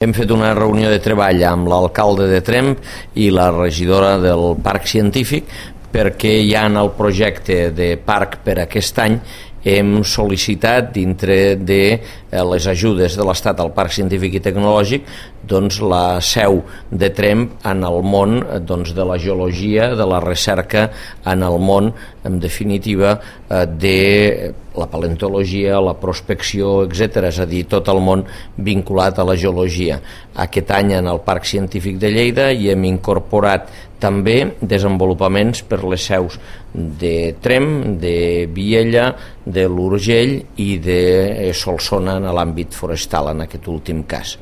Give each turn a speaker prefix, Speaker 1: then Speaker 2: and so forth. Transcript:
Speaker 1: Hem fet una reunió de treball amb l'alcalde de Tremp i la regidora del Parc Científic perquè ja en el projecte de parc per aquest any hem sol·licitat dintre de les ajudes de l'Estat al Parc Científic i Tecnològic doncs la seu de Tremp en el món de la geologia, de la recerca en el món, en definitiva, de la paleontologia, la prospecció, etc. És a dir, tot el món vinculat a la geologia. Aquest any en el Parc Científic de Lleida hi hem incorporat també desenvolupaments per les seus de Tremp, de Viella, de l'Urgell i de Solsona en l'àmbit forestal, en aquest últim cas.